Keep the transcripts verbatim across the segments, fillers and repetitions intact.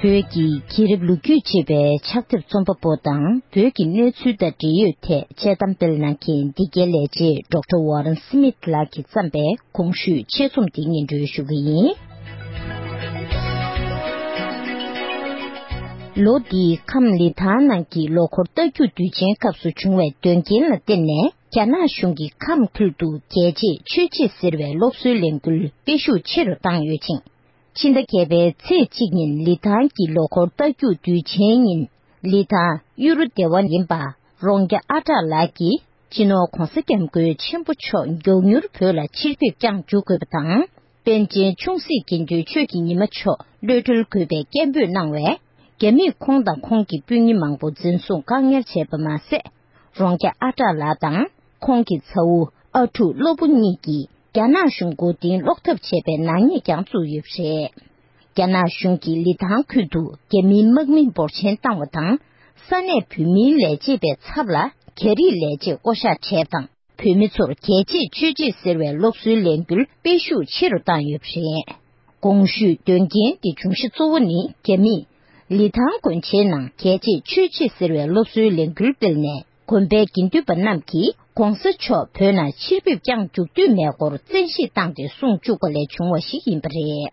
བོད་ཀྱི་རྒྱལ་རབས་ལོ་རྒྱུས་ཅེས་པའི་ཕྱག་དེབ་རྩོམ་པ་པོ་དང་། བོད་ཀྱི་གནས་ཚུལ་དང་འབྲེལ་ཡོད་ཐད་དཔྱད་གཏམ་སྤེལ་གནང་མཁན་འདི་གའི་ལས་བྱེད་ཌོག་ཊར་ཝོ་རན་སི་མིད་ལགས་ཀྱིས་བརྩམས་པའི་གོང་ཞུས་ཆེད་རྩོམ་འདི་སྙན་སྒྲོན་ཞུ་གི་ཡིན། ལོ་འདིའི་ཁམས་ལི་ཐང་ནང་གི་ལོ་འཁོར་རྟ་རྒྱུག་དུས་ཆེན་སྐབས་སུ་བྱུང་བའི་དོན་རྐྱེན་ལ་བརྟེན་ནས། རྒྱ་ནག་གཞུང་གིས་ཁམས་ཁུལ་དུ་རྒྱལ་གཅེས་ཆོས་གཅེས་ཟེར་བའི་སློབ་གསོའི་ལས་འགུལ་སྤེལ་ཤུགས་ཆེ་རུ་བཏང་ཡོད་ཅིང་། ཕྱི་ཟླ་བརྒྱད་པའི་ཚེས་གཅིག་ཉིན་ལི་ཐང་གི་ལོ་འཁོར་རྟ་རྒྱུག་དུས་ཆེན་ཉིན། ལི་ཐང་གཡུ་རུ་སྡེ་བ་ཡིན་པ་རོང་རྒྱ་ཨ་གྲགས་ལགས་ཀྱིས། སྤྱི་ནོར་༧གོང་ས་༧སྐྱབས་མགོན་ཆེན་པོ་མཆོག་མགྱོགས་མྱུར་བོད་ལ་ཕྱིར་ཕེབས་ཀྱང་འཇུག་དགོས་པ་དང་། པཎ་ཆེན་ཆུང་སྲིད་དགེ་འདུན་ཆོས་ཀྱི་ཉི་མ་མཆོག་གློད་གྲོལ་དགོས་པའི་སྐད་འབོད་གནང་བས། རྒྱ་མིས་ཁོང་དང་ཁོང་གི་སྤུན་ཉེ་མང་པོ་འཛིན་བཟུང་བཀག་ཉར་བྱས་པ་མ་ཟད། རོང་རྒྱ་ཨ་གྲགས་ལགས་དང་ཁོང་གི་ཚ་བོ་ཨ་ཕྲུག་བློ་བུ་གཉིས་ཀྱིས་རྒྱ་ནག་གཞུང་མགོ་རྟིང་སློག་ཐབས་བྱས་པའི་ནག་ཉེས་ཀྱང་བཙུགས་ཡོད་པ་རེད། རྒྱ་ནག་གཞུང་གིས་ལི་ཐང་ཁུལ་དུ་རྒྱ་མིའི་དམག་མི་འབོར་ཆེན་བཏང་བ་དང་། ས་གནས་བོད་མིའི་ལས་བྱེད་པའི་ཚབ་ལ་རྒྱ་རིགས་ལས་བྱེད་བསྐོ་གཞག་བྱས་པ་དང་། བོད་མི་ཚོར་རྒྱལ་གཅེས་ཆོས་གཅེས་ཟེར་བའི་སློབ་གསོའི་ལས་འགུལ་སྤེལ་ཤུགས་ཆེ་རུ་བཏང་ཡོད་པ་རེད། གོང་ཞུས་དོན་རྐྱེན་དེ་འབྱུང་གཞི་གཙོ་བོ་ནི། རྒྱ་མིས་ལི་ཐང་དགོན་ཆེན་ནང་རྒྱལ་གཅེས་ཆོས་གཅེས་ཟེར་བའི་སློབ་གསོའི་ལས་འགུལ་སྤེལ་ནས། དགོན་པའི་དགེ་འདུན་པ་རྣམས་ཀྱིས་༧གོང་ས་མཆོག་བོད་ནང་ཕྱིར་ཕེབས་ཀྱང་འཇུག་འདོད་མེད་སྐོར་བཙན་ཤེད་བཏང་སྟེ་གསུངས་བཅུག་པ་ལས་བྱུང་བ་ཞིག་ཡིན་པ་རེད།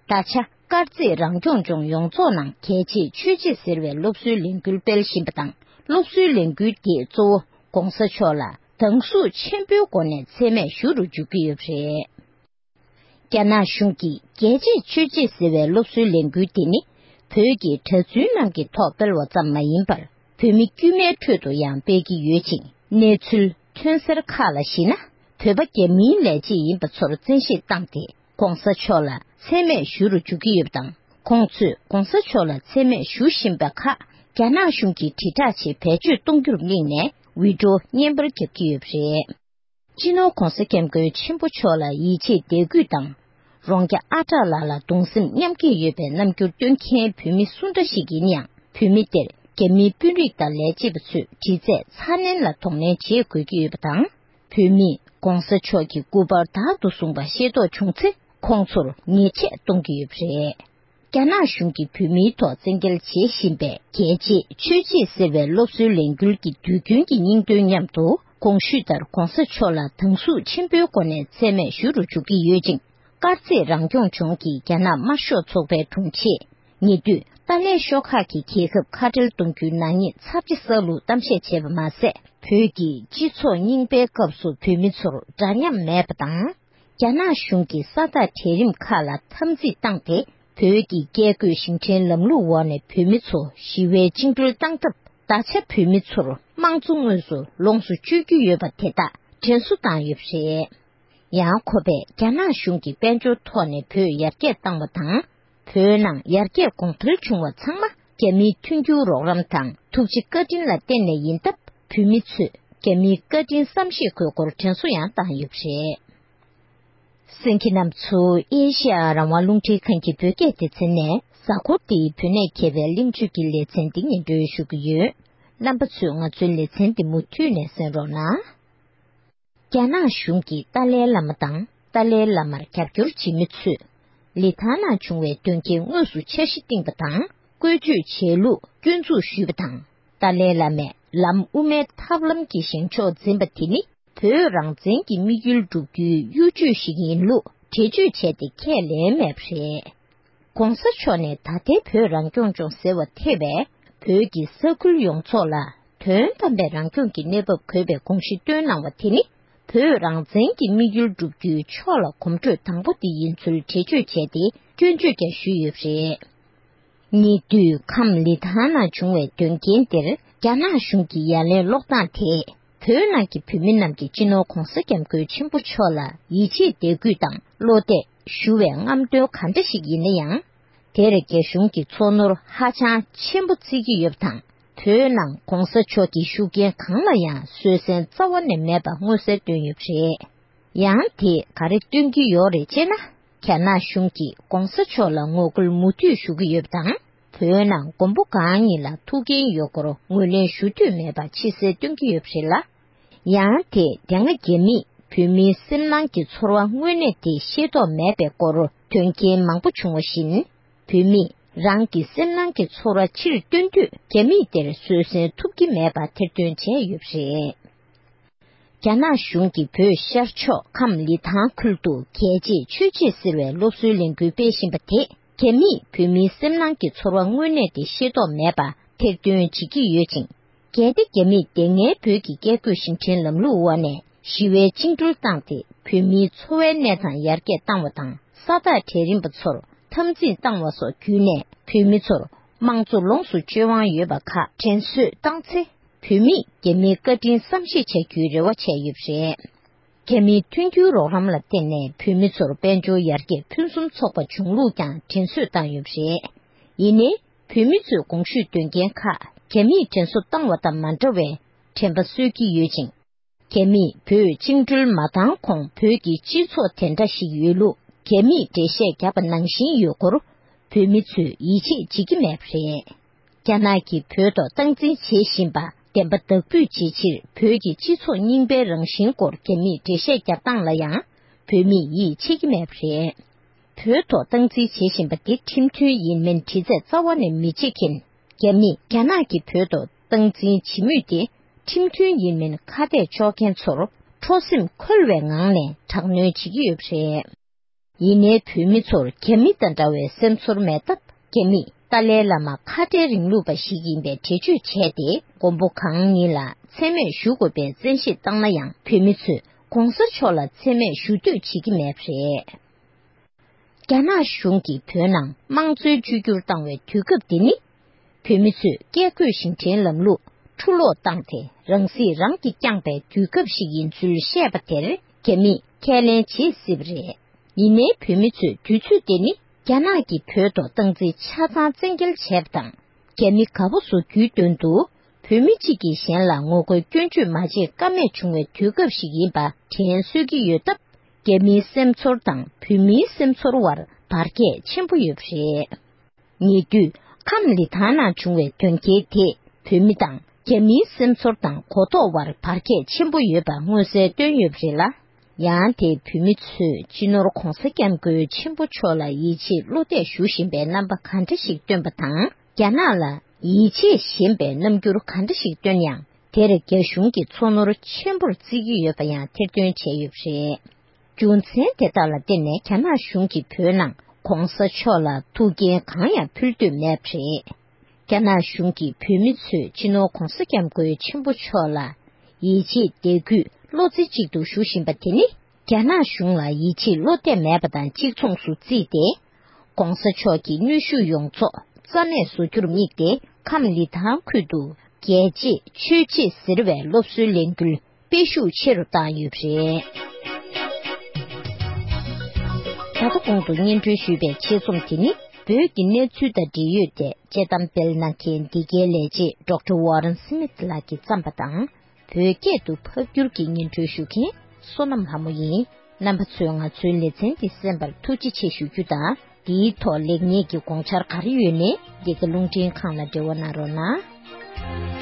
ད་ཆ་དཀར་མཛེས་རང་སྐྱོང་ལྗོངས་ཡོངས་རྫོགས་ནང་རྒྱལ་གཅེས་ཆོས་གཅེས་ཟེར་བའི་སློབ་གསོའི་ལས་འགུལ་སྤེལ་བཞིན་པ་དང་། སློབ་གསོའི་ལས་འགུལ་དེས་གཙོ་བོ་༧གོང་ས་མཆོག་ལ་སྡང་ཟུག་ཆེན་པོའི་སྒོ་ནས་མཚན་སྨད་ཞུ་རུ་འཇུག་གི་ཡོད་པ་རེད། རྒྱ་ནག་གཞུང་གིས་རྒྱལ་གཅེས་ཆོས་གཅེས་ཟེར་བའི་སློབ་གསོའི་ལས་འགུལ་དེ་ནི། བོད་ཀྱི་གྲྭ་བཙུན་རྣམས་ཀྱི་ཐོག་སྤེལ་བ་ཙམ་མ་ཡིན་པར། བོད་མི་དཀྱུས་མའི་ཁྲོད་དུ་ཡང་སྤེལ་གྱི་ཡོད་ཅིང་། གནས་ཚུལ་ཐོན་གསལ་ཁག་ལ་གཞིགས་ན། བོད་པ་རྒྱ་མིའི་ལས་བྱེད་ཡིན་པ་ཚོར་བཙན་ཤེད་བཏང་སྟེ། ༧གོང་ས་མཆོག་ལ་མཚན་སྨད་ཞུ་རུ་འཇུག་གི་ཡོད་པ་དང་། ཁོང་ཚོས་༧གོང་ས་མཆོག་ལ་མཚན་སྨད་ཞུ་བཞིན་པ་ཁག་རྒྱ་ནག་གཞུང་གིས་དྲིལ་བསྒྲགས་ཆེད་བེད་སྤྱོད་གཏོང་རྒྱུར་དམིགས་ནས། བི་ཌིའོ་བརྙན་པར་བརྒྱབ་ཀྱི་ཡོད་པ་རེད། སྤྱི་ནོར་༧གོང་ས་༧སྐྱབས་མགོན་ཆེན་པོ་མཆོག་ལ་ཡིད་ཆེས་དད་གུས་དང་། རོང་རྒྱ་ཨ་གྲགས་ལགས་ལ་གདུང་སེམས་མཉམ་སྐྱེད་ཡོད་པའི་རྣམ་འགྱུར་སྟོན་མཁན་བོད་མི་སུ་འདྲ་ཞིག་ཡིན་ཡང་། བོད་མི་དེར་རྒྱ་མིའི་དཔོན་རིགས་དང་ལས་བྱེད་པ་ཚོས་དྲི་རྩད་ཚ་ནན་ལ་གདོང་ལེན་བྱེད་དགོས་ཀྱི་ཡོད་པ་དང་། བོད་མིས་༧གོང་ས་མཆོག་གི་སྐུ་པར་བདག་ཏུ་བཟུང་བ་ཤེས་རྟོགས་བྱུང་ཚེ། ཁོང་ཚོར་ཉེས་ཆད་གཏོང་གི་ཡོད་པ་རེད། རྒྱ་ནག་གཞུང་གིས་བོད་མིའི་ཐོག་བཙན་འགེལ་བྱེད་བཞིན་པའི་རྒྱལ་གཅེས་ཆོས་གཅེས་ཟེར་བའི་སློབ་གསོའི་ལས་འགུལ་གྱི་དུས་རྒྱུན་གྱི་སྙིང་དོན་མཉམ་དུ། གོང་ཞུས་ལྟར་༧གོང་ས་མཆོག་ལ་སྡང་ཟུག་ཆེན་པོའི་སྒོ་ནས་མཚན་སྨད་ཞུ་རུ་འཇུག་གི་ཡོད་ཅིང་། དཀར་མཛེས་རང་སྐྱོང་ལྗོངས་ཀྱི་རྒྱ་ནག་དམར་ཤོག་ཚོགས་པའི་དྲུང་ཆེས། ཉེ་དུས་ཏཱ་ལའི་ཤོག་ཁག་གིས་རྒྱལ་ཁབ་ཁ་བྲལ་གཏོང་རྒྱུའི་ནག་ཉེས་ཚབས་ཆེ་བསགས་ལུགས་གཏམ་བཤད་བྱས་པ་མ་ཟད། བོད་ཀྱི་སྤྱི་ཚོགས་རྙིང་པའི་སྐབས་སུ་བོད་མི་ཚོར་འདྲ་མཉམ་མེད་པ་དང་། རྒྱ་ནག་གཞུང་གིས་ས་ཐག་གྲལ་རིམ་ཁག་ལ་འཐབ་འཛིང་བཏང་སྟེ། བོད་ཀྱི་བཀས་བཀོད་ཞིང་བྲན་ལམ་ལུགས་འོག་ནས་བོད་མི་ཚོ་ཞི་བའི་བཅིངས་འགྲོལ་བཏང་སྟབས། ད་ཆ་བོད་མི་ཚོར་དམངས་གཙོ་དངོས་སུ་ལོངས་སུ་སྤྱོད་རྒྱུ་ཡོད་པ་དེ་དག་དྲན་གསོ་བཏང་ཡོད་པ་རེད། ཡང་ཁོ་པས་རྒྱ་ནག་གཞུང་གིས་དཔལ་འབྱོར་ཐོག་ནས་བོད་ཡར་རྒྱས་བཏང་བ་དང་། བོད་ནང་ཡར་རྒྱས་གོང་འཕེལ་བྱུང་བ་ཚང་མ་རྒྱ་མིའི་མཐུན་འགྱུར་རོགས་རམ་དང་ཐུགས་རྗེ་བཀའ་དྲིན་ལ་བརྟེན་ནས་ཡིན་སྟབས། བོད་མི་ཚོས་རྒྱ་མིའི་བཀའ་དྲིན་བསམ་ཤེས་དགོས་སྐོར་དྲན་གསོ་ཡང་བཏང་ཡོད་པ་རེད། གསན་མཁན་རྣམ་ཚོ་ཨེ་ཤེ་ཡ་རང་དབང་རླུང་འཕྲིན་ཁང་གི་བོད་སྐད་སྡེ་ཚན་ནས། གཟའ་འཁོར་འདིའི་བོད་གནས་མཁས་པའི་གླེང་བརྗོད་ཀྱི་ལེ་ཚན་འདི་སྙན་སྒྲོན་ཞུ་གི་ཡོད། རྣམ་པ་ཚོས་ང་ཚོའི་ལེ་ཚན་འདི་མུ་མཐུད་ནས་གསན་རོགས་གནང་། རྒྱ་ནག་གཞུང་གིས་ཏཱ་ལའི་བླ་མ་དང་ཏཱ་ལའི་བླ་མར་རྒྱབ་སྐྱོར་བྱེད་མི་ཚོས། ལི་ཐང་ནང་བྱུང་བའི་དོན་རྐྱེན་དངོས་སུ་འཆར་གཞི་བཏིང་པ་དང་། བཀོལ་སྤྱོད་བྱས་ལུགས་སྐྱོན་འཛུགས་ཞུས་པ་དང་། ཏཱ་ལའི་བླ་མས་ལམ་དབུ་མའི་ཐབས་ལམ་གྱི་བཞེངས་ཕྱོགས་འཛིན་པ་དེ་ནི། བོད་རང་བཙན་གྱི་དམིགས་ཡུལ་བསྒྲུབ་རྒྱུའི་གཡོ་ཇུས་ཤིག་ཡིན་ལུགས་འགྲེལ་བརྗོད་བྱས་ཏེ་ཁས་ལེན་མེད་པ་རེད། ༸གོང་ས་མཆོག་ནས་ད་ལྟའི་བོད་རང་སྐྱོང་ལྗོངས་ཟེར་བ་ཐེ་བའི་བོད་ཀྱི་ས་ཁུལ་ཡོངས་རྫོགས་ལ་དོན་དམ་པའི་རང་སྐྱོང་གི་གནས་བབ་དགོས་པའི་དགོངས་གཞི་བཏོན་གནང་བ་དེ་ནི། བོད་རང་བཙན་གྱི་དམིགས་ཡུལ་བསྒྲུབ་རྒྱུའི་ཕྱོགས་ལ་གོམ་བགྲོད་དང་པོ་དེ་ཡིན་ཚུལ་འགྲེལ་བརྗོད་བྱས་ཏེ་སྐྱོན་བརྗོད་ཀྱང་ཞུས་ཡོད་པ་རེད། ཉེ་དུས་ཁམས་ལི་ཐང་ནང་བྱུང་བའི་དོན་རྐྱེན་དེར་རྒྱ་ནག་གཞུང་གི་ཡ་ལན་སློག་སྟངས་དེས། བོད་ནང་གི་བོད་མི་རྣམས་ཀྱིས་སྤྱི་ནོར་༸གོང་ས་༸སྐྱབས་མགོན་ཆེན་པོ་མཆོག་ལ་ཡིད་ཆེས་དད་གུས་དང་བློ་གཏད་ཞུ་བའི་རྔམ་སྟོན་ག་འདྲ་ཞིག་ཡིན་ན་ཡང་། དེར་རྒྱ་གཞུང་གིས་ཚོར་སྣང་ཧ་ཅང་ཆེན་པོ་བརྩི་གི་ཡོད་པ་དང་། བོད་ནང་༸གོང་ས་མཆོག་གི་ཤུགས་རྐྱེན་གང་ལ་ཡང་བཟོད་བསྲན་རྩ་བ་ནས་མེད་པ་མངོན་གསལ་བཏོན་ཡོད་པ་རེད། ཡང་དེས་ག་རེ་སྟོན་གྱི་ཡོད་རེད་ཅེ་ན། རྒྱ་ནག་གཞུང་གིས་༸གོང་ས་མཆོག་ལ་ངོ་རྒོལ་མུ་མཐུད་ཞུ་གི་ཡོད་པ་དང་། བོད་ནང་མགོན་པོ་གང་ཉིད་ལ་ཐུགས་འགན་ཡོད་སྐོར་ངོས་ལེན་ཞུ་འདོད་མེད་པ་ཕྱི་གསལ་སྟོན་གྱི་ཡོད་པ་རེད་ལ། ཡང་དེས་དེ་སྔ་རྒྱ་མིས་བོད་མིའི་སེམས་ནང་གི་ཚོར་བ་དངོས་གནས་དེ་ཤེས་རྟོགས་མེད་པའི་སྐོར་དོན་རྐྱེན་མང་པོ་བྱུང་བ་བཞིན། བོད་མིས་ རང་གི་སེམས་ནང་གི་ཚོར་བ་ཕྱིར་སྟོན་དུས་རྒྱ་མིས་དེར་བཟོད་བསྲན་ཐུབ་ཀྱི་མེད་པ་ཐེར་འདོན་བྱས་ཡོད་པ་རེད། རྒྱ་ནག་གཞུང་གིས་བོད་ཤར་ཕྱོགས་ཁམས་ལི་ཐང་ཁུལ་དུ་རྒྱལ་གཅེས་ཆོས་གཅེས་ཟེར་བའི་སློབ་གསོའི་ལས་འགུལ་སྤེལ་བཞིན་པ་དེས་རྒྱ་མིས་བོད་མིའི་སེམས་ནང་གི་ཚོར་བ་དངོས་གནས་དེ་ཤེས་རྟོགས་མེད་པ་ཐེར་འདོན་བྱེད་ཀྱི་ཡོད་ཅིང་། གལ་ཏེ་རྒྱ་མིས་སྡུག་བསྔལ་བོད་ཀྱི་བཀས་བཀོད་ཤིང་བྲན་ལམ་ལུགས་འོག་ནས་ཞི་བའི་བཅིངས་འགྲོལ་བཏང་སྟེ་བོད་མིའི་འཚོ་བའི་གནས་སྟངས་ཡར་རྒྱས་བཏང་བ་དང་ས་ཐག་གྲལ་རིམ་པ་ཚོར་འཐབ་འཛིང་བཏང་བ་སོགས་བརྒྱུད་ནས་བོད་མི་ཚོར་དམངས་གཙོ་ལོངས་སུ་སྤྱོད་དབང་ཡོད་པ་ཁག་དྲན་གསོས་བཏང་ཚེ་བོད་མིས་རྒྱ་མིའི་བཀའ་དྲིན་བསམ་ཤེས་བྱ་རྒྱུའི་རེ་བ་བྱས་ཡོད་པ་རེད། རྒྱ་མིའི་མཐུན་འགྱུར་རོགས་རམ་ལ་བརྟེན་ནས་བོད་མི་ཚོར་དཔལ་འབྱོར་ཡར་རྒྱས་ཕུན་སུམ་ཚོགས་པ་བྱུང་ལུགས་ཀྱང་དྲན་གསོས་བཏང་ཡོད་པ་རེད། ཡིན་ནའི། བོད་མི་ཚོས་གོང་ཞུས་དོན་རྐྱེན་ཁག་རྒྱ་མིས་དྲན་གསོ་བཏང་བ་དང་མ་འདྲ་བའི་དྲན་པ་གསོས་ཀྱི་ཡོད་ཅིང་། རྒྱ་མིས་བོད་བཅིངས་འགྲོལ་མ་བཏང་གོང་བོད་ཀྱི་སྤྱི་ཚོགས་དེ་འདྲ་ཞིག་ཡོད་ལུགས་རྒྱ་མིས་འགྲེལ་བཤད་བརྒྱབ་པ་ནང་བཞིན་ཡོད་སྐོར་བོད་མི་ཚོས་ཡིད་ཆེས་བྱེད་ཀྱི་མེད་པ་རེད། རྒྱ་ནག་གིས་བོད་ཐོག་སྟངས་འཛིན་བྱེད་བཞིན་པ་བདེན་པ་བདག་སྤོས་བྱེད་ཕྱིར་བོད་ཀྱི་སྤྱི་ཚོགས་རྙིང་པའི་རང་བཞིན་སྐོར་རྒྱ་མིས་འགྲེལ་བཤད་རྒྱག་སྟངས་ལ་ཡང་བོད་མིས་ཡིད་ཆེས་ཀྱི་མེད་པ་རེད། བོད་ཐོག་སྟངས་འཛིན་བྱེད་བཞིན་པ་འདི་ཁྲིམས་མཐུན་ཡིན་མིན་དྲི་རྩད་རྩ་བ་ནས་མི་བྱེད་མཁན། རྒྱ་མིས་རྒྱ་ནག་གིས་བོད་ཐོག་སྟངས་འཛིན་བྱེད་མུས་དེ་ཁྲིམས་མཐུན་ཡིན་མིན་ཁ་གཏད་གཅོག་མཁན་ཚོར་ཁྲོ་སེམས་འཁོལ་བའི་ངང་ནས་དྲག་གནོན་བྱེད་ཀྱི་ཡོད་པ་རེད། ཡིན་ནའི་བོད་མི་ཚོར་རྒྱ་མི་དང་འདྲ་བའི་སེམས་ཚོར་མེད་སྟབས་རྒྱ་མིས་ཏཱ་ལའི་བླ་མ་ཁ་བྲལ་རིང་ལུགས་པ་ཞིག་ཡིན་པའི་འགྲེལ་བརྗོད་བྱས་ཏེ་མགོན་པོ་གང་ཉིད་ལ་མཚན་སྨད་ཞུ་དགོས་པའི་བཙན་ཤེད་བཏང་ན་ཡང་བོད་མི་ཚོས་གོང་ས་མཆོག་ལ་མཚན་སྨད་ཞུ་འདོད་བྱེད་ཀྱི་མེད་པ་རེད། རྒྱ་ནག་གཞུང་གིས་བོད་ནང་དམངས་གཙོའི་བཅོས་བསྒྱུར་བཏང་བའི་དུས་སྐབས་འདི་ནི། བོད་མི་ཚོས་བཀས་བཀོད་ཤིང་བྲན་ལམ་ལུགས་འཁྲུ་སློག་བཏང་སྟེ་རང་སྲིད་རང་གིས་བསྐྱངས་པའི་དུས་སྐབས་ཤིག་ཡིན་ཚུལ་བཤད་པ་དེར་རྒྱ་མིས་ཁས་ལེན་བྱེད་སྲིད་པ་རེད། ཡིན་ནའི་བོད་མི་ཚོས་དུས་ཚོད་དེ་ནི་རྒྱ་ནག་གིས་བོད་ཐོག་སྟངས་འཛིན་ཆ་ཚང་བཙན་འགེལ་བྱས་པ་དང་། རྒྱ་མི་དགའ་པོ་བཟོ་རྒྱུའི་དོན་དུ་བོད་མི་གཅིག་གིས་གཞན་ལ་ངོ་རྒོལ་སྐྱོན་བརྗོད་མ་བྱེད་ཀ་མེད་བྱུང་བའི་དུས་སྐབས་ཤིག་ཡིན་པ་དྲན་གསོས་ཀྱི་ཡོད་སྟབས། རྒྱ་མིའི་སེམས་ཚོར་དང་བོད་མིའི་སེམས་ཚོར་བར་བར་ཁྱད་ཆེན་པོ་ཡོད་པ་རེད། ཉེ་དུས་ཁམས་ལི་ཐང་ནང་བྱུང་བའི་དོན་རྐྱེན་དེས་བོད་མི་དང་རྒྱ་མིའི་སེམས་ཚོར་དང་གོ་རྟོགས་བར་བར་ཁྱད་ཆེན་པོ་ཡོད་པ་མངོན་གསལ་བཏོན་ཡོད་པ་རེད་ལ། ཡང་དེས་བོད་མི་ཚོས་སྤྱི་ནོར་༧གོང་ས་༧སྐྱབས་མགོན་ཆེན་པོ་མཆོག་ལ་ཡིད་ཆེས་བློ་གཏད་ཞུ་བཞིན་པའི་རྣམ་པ་ག་འདྲ་ཞིག་སྟོན་པ་དང་། རྒྱ་ནག་ལ་ཡིད་ཆེས་ཞན་པའི་རྣམ་འགྱུར་ག་འདྲ་ཞིག་སྟོན་ཡང་། དེར་རྒྱ་གཞུང་གིས་ཚོར་སྣང་ཆེན་པོར་བརྩི་གི་ཡོད་པ་ཡང་ཐེར་འདོན་བྱས་ཡོད་པ་རེད། རྒྱུ་མཚན་དེ་དག་ལ་བརྟེན་ནས་རྒྱ་ནག་གཞུང་གིས་བོད་ནང་༧གོང་ས་མཆོག་ལ་ཐུགས་འགན་གང་ཡང་ཕུལ་འདོད་མེད་པ་རེད། རྒྱ་ནག་གཞུང་གིས་བོད་མི་ཚོས་སྤྱི་ནོར་༧གོང་ས་༧སྐྱབས་མགོན་ཆེན་པོ་མཆོག་ལ་ཡིད་ཆེས་དད་གུས་བློ་རྩེ་གཅིག་ཏུ་ཞུ་བཞིན་པ་དེ་ནི། རྒྱ་ནག་གཞུང་ལ་ཡིད་ཆེས་བློ་གཏད་མེད་པ་དང་གཅིག་མཚུངས་སུ་བརྩིས་ཏེ། ༸གོང་ས་མཆོག་གི་ནུས་ཤུགས་ཡོངས་རྫོགས་རྩ་མེད་བཟོ་རྒྱུར་དམིགས་ཏེ་ཁམས་ལི་ཐང་ཁུལ་དུ་རྒྱལ་གཅེས་ཆོས་གཅེས་ཟེར་བའི་སློབ་གསོའི་ལས་འགུལ་སྤེལ་ཤུགས་ཆེ་རུ་བཏང་ཡོད་པ་རེད། ད་ལྟ་གོང་དུ་སྙན་སྒྲོན་ཞུས་པའི་ཆེད་རྩོམ་དེ་ནི་བོད་ཀྱི་གནས་ཚུལ་དང་འབྲེལ་ཡོད་དེ་དཔྱད་གཏམ་སྤེལ་གནང་མཁན་འདི་གའི་ལས་བྱེད་ཌོག་ཊར་ཝོ་རན་སི་མིད་ལགས་ཀྱིས་བརྩམས་པ་དང་། བོད་སྐད་དུ་ཕབ་བསྒྱུར་གྱིས་སྙན་སྒྲོན་ཞུ་མཁན་བསོད་ནམས་ལྷ་མོ་ཡིན། རྣམ་པ་ཚོས་ང་ཚོའི་ལེ་ཚན་འདི་གསན་པར་ཐུགས་རྗེ་ཆེ་ཞུ་རྒྱུ་དང་། འདིའི་ཐོག་ལེགས་ཉེས་ཀྱི་དགོངས་འཆར་ག་རེ་ཡོད་ནའི་འདི་ག་རླུང་འཕྲིན་ཁང་ལ་འབྲེལ་བ་གནང་རོགས་གནང་།